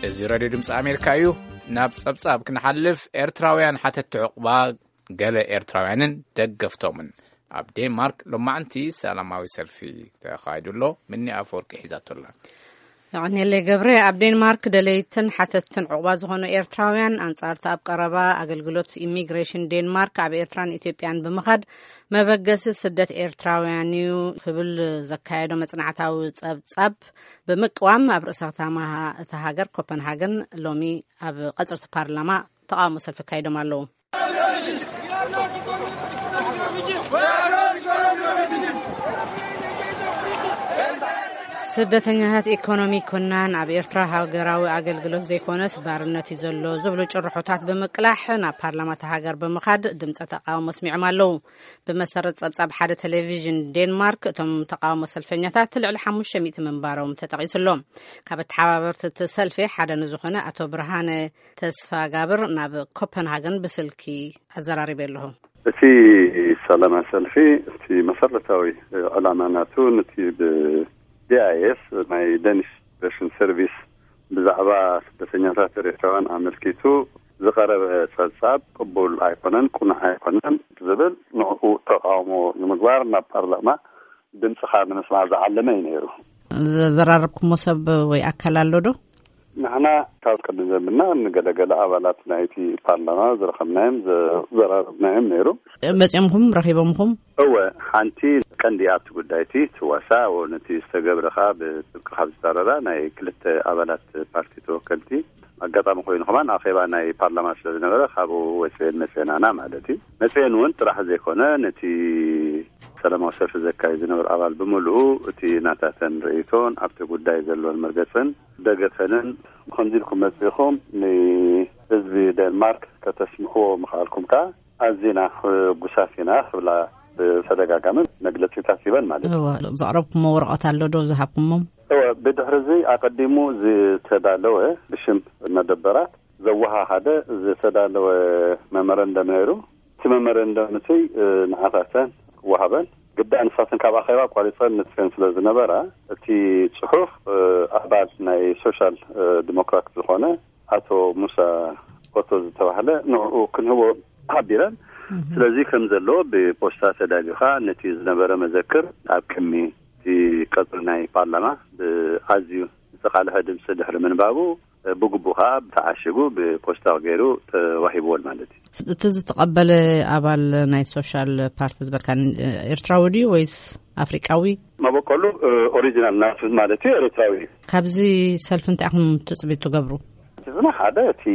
እዚ ሬድዮ ድምፂ ኣሜሪካ እዩ። ናብ ጸብጻብ ክንሓልፍ፣ ኤርትራውያን ሓተቲ ዕቑባ፣ ገለ ኤርትራውያንን ደገፍቶምን ኣብ ዴንማርክ ሎማዕንቲ ሰላማዊ ሰልፊ ተኻይዱ ኣሎ። ምኒ ኣፈወርቂ ሒዛቶ ኣላ። የቐንየለይ ገብረ። ኣብ ዴንማርክ ደለይትን ሓተትን ዕቑባ ዝኾኑ ኤርትራውያን፣ ኣንጻርቲ ኣብ ቀረባ ኣገልግሎት ኢሚግሬሽን ዴንማርክ ኣብ ኤርትራን ኢትዮጵያን ብምኻድ መበገሲ ስደት ኤርትራውያን እዩ ክብል ዘካየዶ መጽናዕታዊ ጸብጻብ ብምቅዋም፣ ኣብ ርእሰ ከተማ እታ ሃገር ኮፐንሃገን ሎሚ ኣብ ቀጽርቲ ፓርላማ ተቃውሞ ሰልፊ ኣካይዶም ኣለዉ። ስደተኛታት ኢኮኖሚ ኮናን ኣብ ኤርትራ ሃገራዊ ኣገልግሎት ዘይኮነስ ባርነት እዩ ዘሎ ዝብሉ ጭርሖታት ብምቅላሕ ናብ ፓርላማ እታ ሃገር ብምኻድ ድምፀ ተቃውሞ ኣስሚዖም ኣለዉ። ብመሰረት ጸብጻብ ሓደ ቴሌቪዥን ዴንማርክ፣ እቶም ተቃውሞ ሰልፈኛታት ልዕሊ ሓሙሽተ ሚእቲ ምንባሮም ተጠቒሱ ኣሎ። ካብ ኣተሓባበርቲ እቲ ሰልፊ ሓደ ንዝኾነ ኣቶ ብርሃነ ተስፋ ጋብር ናብ ኮፐንሃገን ብስልኪ ኣዘራሪበ ኣለኹ። እቲ ሰላማዊ ሰልፊ፣ እቲ መሰረታዊ ዕላማ ናቱ፣ ነቲ ብ ዲ ኣይ ኤስ፣ ናይ ደኒሽ ኢሚግሬሽን ሰርቪስ፣ ብዛዕባ ስደተኛታት ኤርትራውያን ኣመልኪቱ ዝቐረበ ጸብጻብ ቅቡል ኣይኮነን፣ ቅኑዕ ኣይኮነን ዝብል ንዕኡ ተቃውሞ ንምግባር ናብ ፓርላማ ድምፅኻ ንምስማዕ ዝዓለመ እዩ ነይሩ። ዘዘራረብኩሞ ሰብ ወይ ኣካል ኣሎ ዶ? ንሕና ካብ ቅድም ዘምና ንገለገለ ኣባላት ናይቲ ፓርላማ ዝረኸብናዮም ዘዘራረብናዮም ነይሩ። መፂኦምኹም ረኺቦምኹም? እወ፣ ሓንቲ ቀንዲ ኣብቲ ጉዳይ እቲ ትዋሳ፣ ነቲ ዝተገብረ ከኣ ብጥብቂ ካብ ዝጻረራ ናይ ክልተ ኣባላት ፓርቲ ተወከልቲ ኣጋጣሚ ኮይኑ ከማን ኣኼባ ናይ ፓርላማ ስለ ዝነበረ ካብኡ ወፅኤን መፅኤናና ማለት እዩ። መፅኤን እውን ጥራሕ ዘይኮነ ነቲ ሰላማዊ ሰልፊ ዘካይድ ዝነበረ ኣባል ብምሉኡ እቲ ናታተን ርእይቶን ኣብቲ ጉዳይ ዘለዎን መርገፅን ደገፈንን ከምዚ ኢልኩም መፂእኹም ንህዝቢ ዴንማርክ ከተስምዕዎ ምኽኣልኩም ከኣ ኣዚና ሕጉሳት ኢና ክብላ ብተደጋጋሚ መግለጺታት ሂበን ማለት እዩ። እወ፣ ዘቕረብኩሞ ወረቐት ኣሎ ዶ ዝሃብኩሞም? እወ፣ ብድሕሪ እዚ ኣቐዲሙ ዝተዳለወ ብሽም መደበራት ዘወሃሃደ ዝተዳለወ መመረንደም ነይሩ። እቲ መመረንደም እቲ ንዓታተን ወሃበን። ግዳ ንሳተን ካብ ኣኼባ ኣቋሪጸን ንጥፈን ስለ ዝነበራ እቲ ጽሑፍ ኣባል ናይ ሶሻል ዲሞክራት ዝኾነ ኣቶ ሙሳ ኦቶ ዝተባህለ ንዕኡ ክንህቦ ሓቢረን። ስለዚ ከም ዘሎ ብፖስታ ተዳልዩኻ ነቲ ዝነበረ መዘክር ኣብ ቅድሚ እቲ ቀጽሪ ናይ ፓርላማ ብኣዝዩ ዝተቓልሐ ድምፂ ድሕሪ ምንባቡ ብግቡእ ከዓ ተዓሽጉ ብፖስታ ገይሩ ተዋሂብዎን ማለት እዩ። እቲ ዝተቐበለ ኣባል ናይ ሶሻል ፓርቲ ዝበልካ ኤርትራዊ ድዩ ወይስ ኣፍሪቃዊ? መበቆሉ ኦሪጂናል ናቱ ማለት እዩ ኤርትራዊ እዩ። ካብዚ ሰልፊ እንታይ ኢኹም ትፅቢት ትገብሩ? እቲ ዝና ሓደ እቲ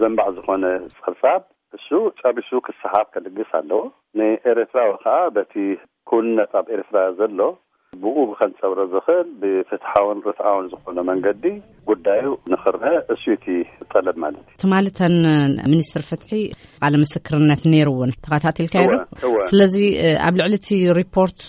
ዘንባዕ ዝኾነ ጸብጻብ እሱ ጸቢሱ ክሰሓብ ከልግስ ኣለዎ። ንኤርትራዊ ከዓ በቲ ክውንነት ኣብ ኤርትራ ዘሎ ብኡ ከንጸብሮ ዝኽእል ብፍትሓውን ርትዓውን ዝኾነ መንገዲ ጉዳዩ ንኽረአ እሱ እቲ ጠለብ ማለት እዩ። ትማሊ እተን ሚኒስትር ፍትሒ ቃለ ምስክርነት ነይርውን ተኸታቲልካዮ ዶ? እወ፣ እወ። ስለዚ ኣብ ልዕሊ እቲ ሪፖርት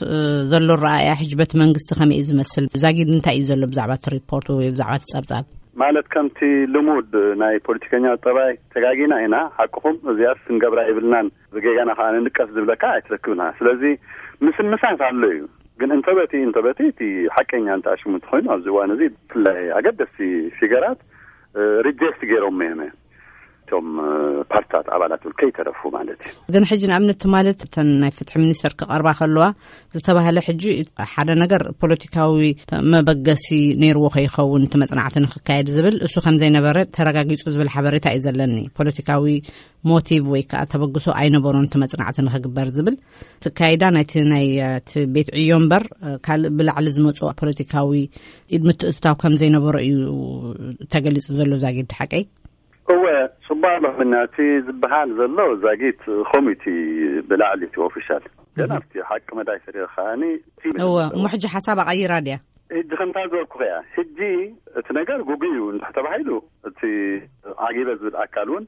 ዘሎ ረኣያ ሕጂ በቲ መንግስቲ ከመይ እዩ ዝመስል? ዛጊድ እንታይ እዩ ዘሎ ብዛዕባ እቲ ሪፖርት ወይ ብዛዕባ እቲ ጸብጻብ? ማለት ከምቲ ልሙድ ናይ ፖለቲከኛ ጠባይ ተጋጊና ኢና፣ ሓቅኹም እዚኣስ ክንገብራ የብልናን፣ ብጌጋና ከዓ ንንቀፍ ዝብለካ ኣይትረክብና። ስለዚ ምስምሳት ኣሎ እዩ። ግን እንተበቲ እንተበቲ እቲ ሓቀኛ እንተኣሽሙ እንተኾይኑ ኣብዚ እዋን እዚ ብፍላይ ኣገደስቲ ፊገራት ሪጀክት ገይሮም እዮም እቶም ፓርትታት ኣባላት እውን ከይተረፉ ማለት እዩ። ግን ሕጂ ንኣብነት ማለት እተን ናይ ፍትሒ ሚኒስተር ክቐርባ ከለዋ ዝተባህለ ሕጂ ሓደ ነገር ፖለቲካዊ መበገሲ ነይርዎ ከይኸውን እቲ መጽናዕቲ ንክካየድ ዝብል እሱ ከም ዘይነበረ ተረጋጊጹ ዝብል ሓበሬታ እዩ ዘለኒ። ፖለቲካዊ ሞቲቭ ወይ ከዓ ተበግሶ ኣይነበሮን እቲ መጽናዕቲ ንክግበር ዝብል ትካይዳ ናይቲ ናይ እቲ ቤት ዕዮ እምበር ካልእ ብላዕሊ ዝመፁ ፖለቲካዊ ኢድ ምትእትታው ከም ዘይነበሮ እዩ ተገሊጹ ዘሎ። ዛጊድ ሓቀይ? እወ፣ ጽቡቕ ኣሎ። ምክንያቱ እቲ ዝበሃል ዘሎ ዛጊት ኮሚቲ ብላዕሊ እቲ ኦፊሻል ግን ኣብቲ ሓቂ መዳይ ሰሪር ከዓኒ እቲ እወ፣ እሞ ሕጂ ሓሳብ ኣቐይራ ድያ? ሕጂ ከምታ ዝበልኩ ከያ፣ ሕጂ እቲ ነገር ጉጉይ እዩ እንድሕ ተባሂሉ እቲ ዓጊበ ዝብል ኣካል እውን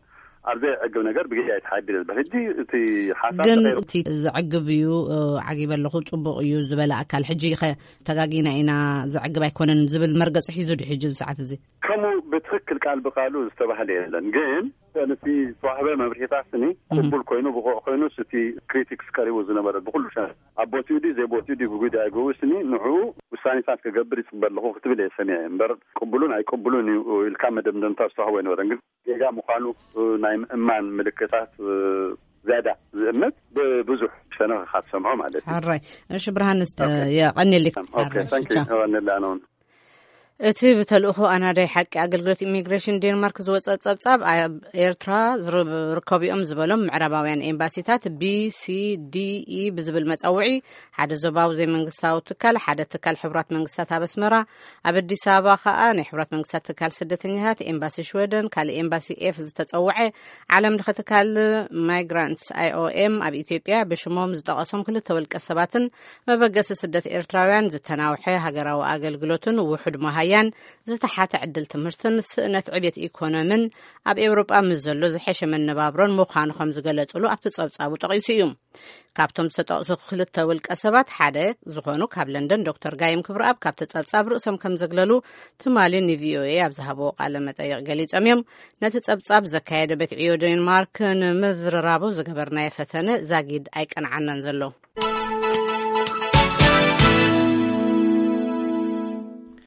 ኣብ ዘይዕግብ ነገር ብግዜ ኣይተሓድር ዝብል። ሕጂ እቲ ሓሳብ ግን ተቐይሩ። እቲ ዘዕግብ እዩ፣ እ፣ ዓጊበ ኣለኹ፣ ጽቡቕ እዩ ዝበለ ኣካል ሕጂ ኸ ተጋጊና ኢና፣ ዘዕግብ ኣይኮነን ዝብል መርገጺ ሒዙ ድዩ ሕጂ ኣብዚ ሰዓት እዚ? ከምኡ ብትኽክል ክል ቃል ብቃሉ ዝተባህለ የለን። ግን ነቲ ዝተዋህበ መብርሂታት ስኒ ቅቡል ኮይኑ ብቑዕ ኮይኑ እቲ ክሪቲክስ ቀሪቡ ዝነበረ ብኩሉ ሸ ኣብ ቦትኡ ድዩ ዘይቦትኡ ድዩ ብጉዳይ ገው ስኒ ንዕኡ ውሳኔታት ክገብር ይፅበ ኣለኹ ክትብል እየ ሰሚዐ እምበር ቅቡሉን ኣይቅቡሉን እዩ ኢልካ መደምደምታ ዝተዋህቦ ኣይነበረን። ግን ጌጋ ምዃኑ ናይ ምእማን ምልክታት ዝያዳ ዝእምት ብብዙሕ ሸነኽ ካብ ሰምዖ ማለት እዩ። ሕራይ። እሺ ብርሃንስ የቐንየልክ። ኦኬ። ታንክ ዩ። ነላ ነውን። እቲ ብተልእኾ ኣናዳይ ሓቂ ኣገልግሎት ኢሚግሬሽን ዴንማርክ ዝወፀ ፀብፃብ ኣብ ኤርትራ ዝርከቡ እዮም ዝበሎም ምዕራባውያን ኤምባሲታት ቢ ሲ ዲ ኢ ብዝብል መፀውዒ ሓደ ዞባዊ ዘይመንግስታዊ ትካል ሓደ ትካል ሕቡራት መንግስታት ኣብ ኣስመራ ኣብ ኣዲስ ኣበባ ከዓ ናይ ሕቡራት መንግስታት ትካል ስደተኛታት ኤምባሲ ሽወደን ካልእ ኤምባሲ ኤፍ ዝተፀውዐ ዓለም ለኸ ትካል ማይግራንትስ ኣይ ኦ ኤም ኣብ ኢትዮጵያ ብሽሞም ዝጠቐሶም ክልተ ውልቀ ሰባትን መበገሲ ስደት ኤርትራውያን ዝተናውሐ ሃገራዊ ኣገልግሎትን ውሑድ መሃያን ዝተሓተ ዕድል ትምህርትን ስእነት ዕብየት ኢኮኖምን ኣብ ኤውሮጳ ምስ ዘሎ ዝሐሸ መነባብሮን ምዃኑ ከም ዝገለጹሉ ኣብቲ ጸብጻቡ ጠቒሱ እዩ። ካብቶም ዝተጠቕሱ ክልተ ውልቀ ሰባት ሓደ ዝኾኑ ካብ ለንደን ዶክተር ጋይም ክብረኣብ ካብቲ ጸብጻብ ርእሶም ከም ዘግለሉ ትማሊ ንቪኦኤ ኣብ ዝሃብዎ ቃለ መጠይቕ ገሊጾም እዮም። ነቲ ጸብጻብ ዘካየደ ቤት ዕዮ ዴንማርክ ንምዝርራቡ ዝገበርናዮ ፈተነ ዛጊድ ኣይቀንዓናን ዘሎ።